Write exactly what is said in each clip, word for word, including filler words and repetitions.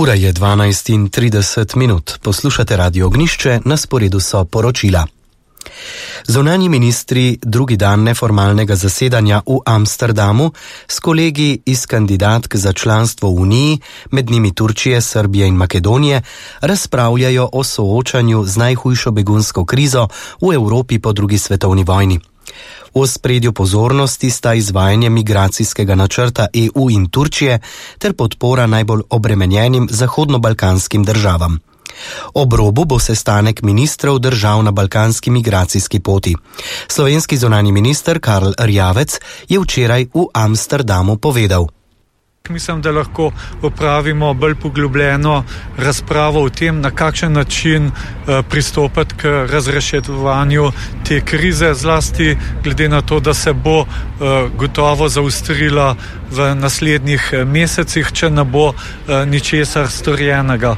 Ura je dvanajst in trideset minut. Poslušate Radio Ognišče, na sporedu so poročila. Zunanji ministri drugi dan neformalnega zasedanja v Amsterdamu s kolegi iz kandidatk za članstvo v Uniji, med njimi Turčije, Srbije in Makedonije, razpravljajo o soočanju z najhujšo begunsko krizo v Evropi po drugi svetovni vojni. V ospredju pozornosti sta izvajanje migracijskega načrta E U in Turčije ter podpora najbolj obremenjenim zahodno-balkanskim državam. Ob robu bo sestanek ministrov držav na balkanski migracijski poti. Slovenski zunanji minister Karl Erjavec je včeraj v Amsterdamu povedal: Mislim, da lahko opravimo bolj poglobljeno razpravo o tem, na kakšen način pristopati k razreševanju te krize, zlasti glede na to, da se bo gotovo zaustrila v naslednjih mesecih, če ne bo ničesar storjenega.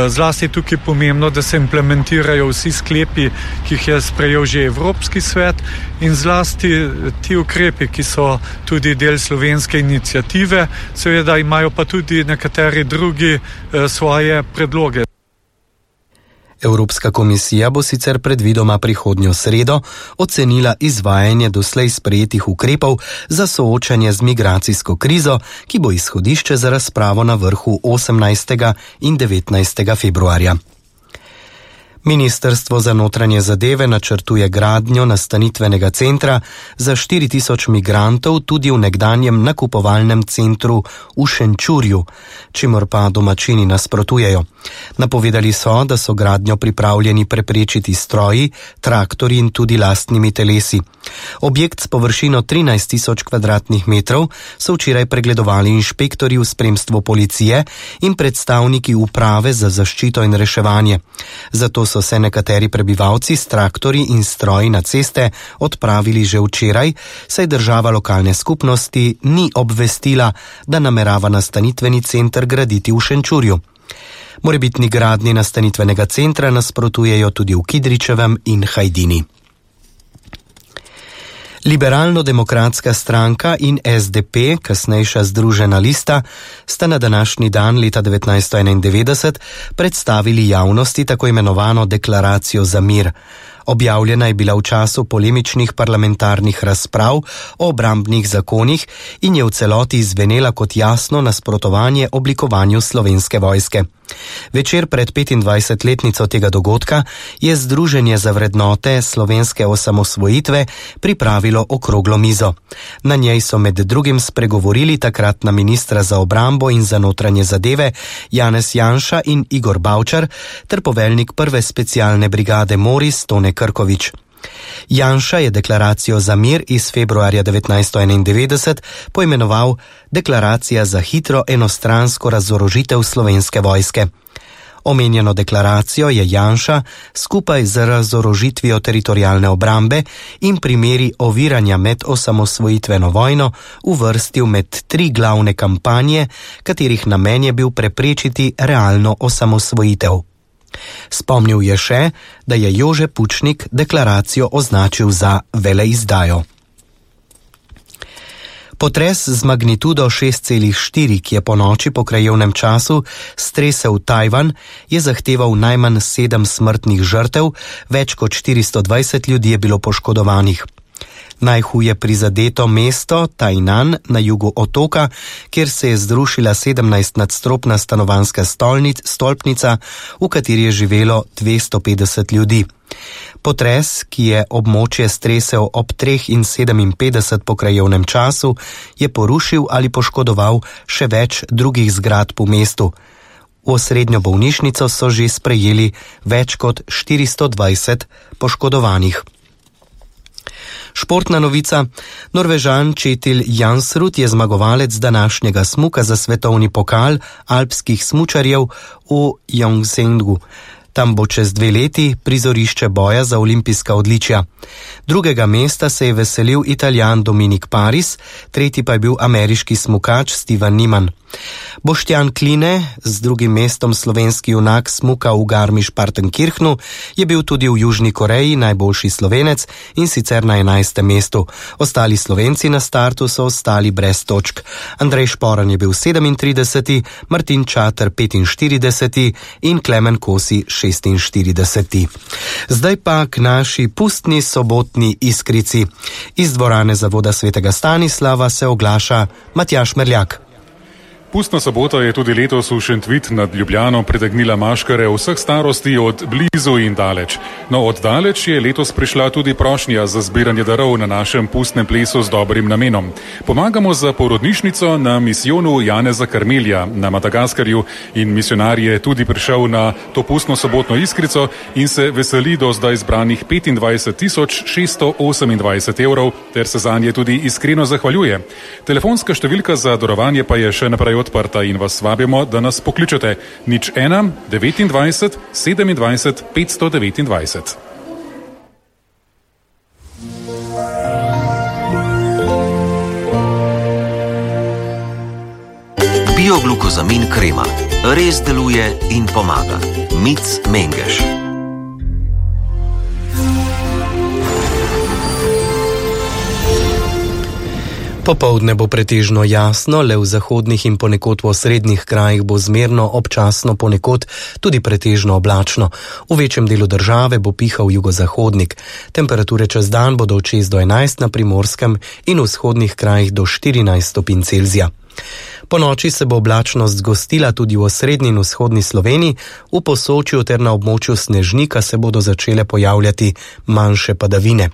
Zlasti tukaj je pomembno, da se implementirajo vsi sklepi, ki jih je sprejel že Evropski svet, in zlasti ti ukrepi, ki so tudi del slovenske iniciative, seveda imajo pa tudi nekateri drugi svoje predloge. Evropska komisija bo sicer predvidoma prihodnjo sredo ocenila izvajanje doslej sprejetih ukrepov za soočanje z migracijsko krizo, ki bo izhodišče za razpravo na vrhu osemnajstega in devetnajstega februarja. Ministrstvo za notranje zadeve načrtuje gradnjo nastanitvenega centra za štiri tisoč migrantov tudi v nekdanjem nakupovalnem centru v Šenčurju, čimor pa domačini nasprotujejo. Napovedali so, da so gradnjo pripravljeni preprečiti stroji, traktorji in tudi lastnimi telesi. Objekt s površino trinajst tisoč kvadratnih metrov so včeraj pregledovali inšpektorji v spremstvu policije in predstavniki uprave za zaščito in reševanje. Zato so se nekateri prebivalci s traktorji in stroji na ceste odpravili že včeraj, saj država lokalne skupnosti ni obvestila, da namerava nastanitveni center graditi v Šenčurju. Morebitni gradnji nastanitvenega centra nasprotujejo tudi v Kidričevem in Hajdini. Liberalno-demokratska stranka in S D P, kasnejša Združena lista, sta na današnji dan leta devetnajststo enaindevetdeset predstavili javnosti tako imenovano deklaracijo za mir. Objavljena je bila v času polemičnih parlamentarnih razprav o obrambnih zakonih in je v celoti izvenela kot jasno nasprotovanje oblikovanju Slovenske vojske. Večer pred petindvajsetletnico tega dogodka je Združenje za vrednote slovenske osamosvojitve pripravilo okroglo mizo. Na njej so med drugim spregovorili takratna ministra za obrambo in za notranje zadeve Janez Janša in Igor Bavčar ter poveljnik prve specialne brigade Moris Tone Krkovič. Janša je deklaracijo za mir iz februarja devetnajststo enaindevetdeset poimenoval Deklaracija za hitro enostransko razorožitev Slovenske vojske. Omenjeno deklaracijo je Janša skupaj z razorožitvijo teritorialne obrambe in primeri oviranja med osamosvojitveno vojno uvrstil med tri glavne kampanje, katerih namen je bil preprečiti realno osamosvojitev. Spomnil je še, da je Jože Pučnik deklaracijo označil za veleizdajo. Potres z magnitudo šest celih štiri, ki je po noči po krajevnem času stresel Tajvan, je zahteval najmanj sedem smrtnih žrtev, več kot štiristo dvajset ljudi je bilo poškodovanih. Najhuje prizadeto mesto Tainan na jugu otoka, kjer se je zrušila sedemnajstnadstropna stanovanjska stolnic, stolpnica, v kateri je živelo dvesto petdeset ljudi. Potres, ki je območje stresel ob treh in sedeminpetdeset po krajevnem času, je porušil ali poškodoval še več drugih zgradb v mestu. V osrednjo bolnišnico so že sprejeli več kot štiristo dvajset poškodovanih. Športna novica. Norvežan Kjetil Jansrud je zmagovalec današnjega smuka za svetovni pokal alpskih smučarjev v Gyeongsangu. Tam bo čez dve leti prizorišče boja za olimpijska odličja. Drugega mesta se je veselil Italijan Dominik Paris, tretji pa je bil ameriški smukač Steven Niemann. Boštjan Kline, z drugim mestom slovenski junak smuka v Garmisch-Partenkirchnu, je bil tudi v Južni Koreji najboljši Slovenec in sicer na enajstem mestu. Ostali Slovenci na startu so ostali brez točk. Andrej Šporan je bil sedemintrideseti, Martin Čater petinštirideseti in Klemen Kosi šestinštirideseti. Zdaj pa k naši pustni sobotni iskrici. Iz dvorane Zavoda svetega Stanislava se oglaša Matjaž Merljak. Pustna sobota je tudi letos v Šentvit nad Ljubljano pritegnila maškare vseh starosti od blizu in daleč. No, od daleč je letos prišla tudi prošnja za zbiranje darov na našem pustnem plesu z dobrim namenom. Pomagamo za porodnišnico na misijonu Janeza Karmelja na Madagaskarju in misionar je tudi prišel na to pustno sobotno iskrico in se veseli do zdaj zbranih petindvajset tisoč šeststo osemindvajset evrov ter se zanje tudi iskreno zahvaljuje. Telefonska številka za darovanje pa je še naprej odprta in vas vabimo, da nas pokličete nič ena devetindvajset sedemindvajset petsto devetindvajset. Bioglukozamin krema res deluje in pomaga. Mic Mengeš. Popoldne bo pretežno jasno, le v zahodnih in ponekod v osrednjih krajih bo zmerno, občasno ponekod tudi pretežno oblačno. V večjem delu države bo pihal jugozahodnik. Temperature čez dan bodo od šest do enajst na Primorskem in v vzhodnih krajih do štirinajst stopinj Celzija. Po noči se bo oblačnost zgostila tudi v osrednji in vzhodni Sloveniji, v Posočju ter na območju Snežnika se bodo začele pojavljati manjše padavine.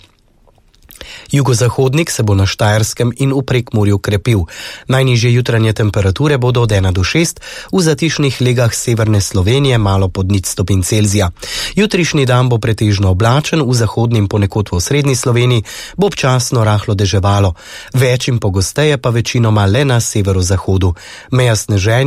Jugozahodnik se bo na Štajerskem in v Prekmurju krepil. Najnižje jutranje temperature bodo od ena do šest, v zatišnih legah severne Slovenije malo pod nič stopinj Celzija. Jutrišnji dan bo pretežno oblačen, v zahodni in ponekod v osrednji Sloveniji bo občasno rahlo deževalo. Več in pogosteje pa večinoma le na severozahodu. Meja sneženja